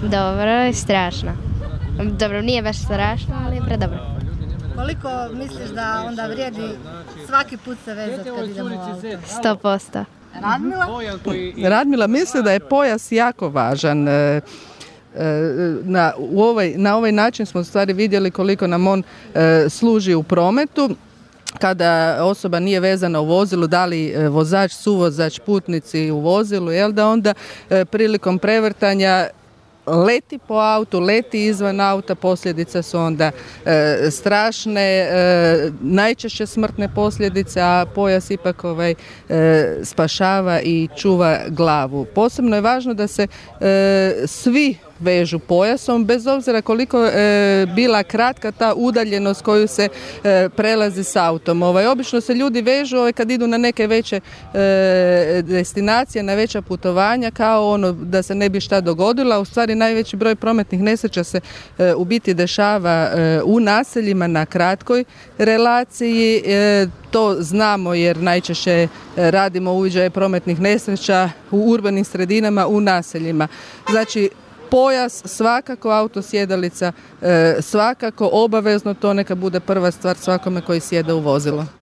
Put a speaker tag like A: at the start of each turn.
A: Dobro i strašno. Dobro, nije baš strašno, ali je predobro.
B: Koliko misliš da onda vrijedi svaki put se vezati kad idemo u auto?
A: 100%.
B: Radmila?
C: Radmila misli da je pojas jako važan. Na ovaj način smo u stvari vidjeli koliko nam on služi u prometu. Kada osoba nije vezana u vozilu, da li vozač, suvozač, putnici u vozilu, da onda prilikom prevrtanja leti po autu, leti izvan auta, posljedice su onda strašne, najčešće smrtne posljedice, a pojas ipak spašava i čuva glavu. Posebno je važno da se svi vežu pojasom, bez obzira koliko bila kratka ta udaljenost koju se prelazi s autom. Obično se ljudi vežu kad idu na neke veće destinacije, na veća putovanja, kao da se ne bi šta dogodilo, a u stvari najveći broj prometnih nesreća se u biti dešava u naseljima na kratkoj relaciji. To znamo jer najčešće radimo uviđaje prometnih nesreća u urbanim sredinama, u naseljima. Znači, pojas, svakako autosjedalica, svakako obavezno, to neka bude prva stvar svakome koji sjede u vozilo.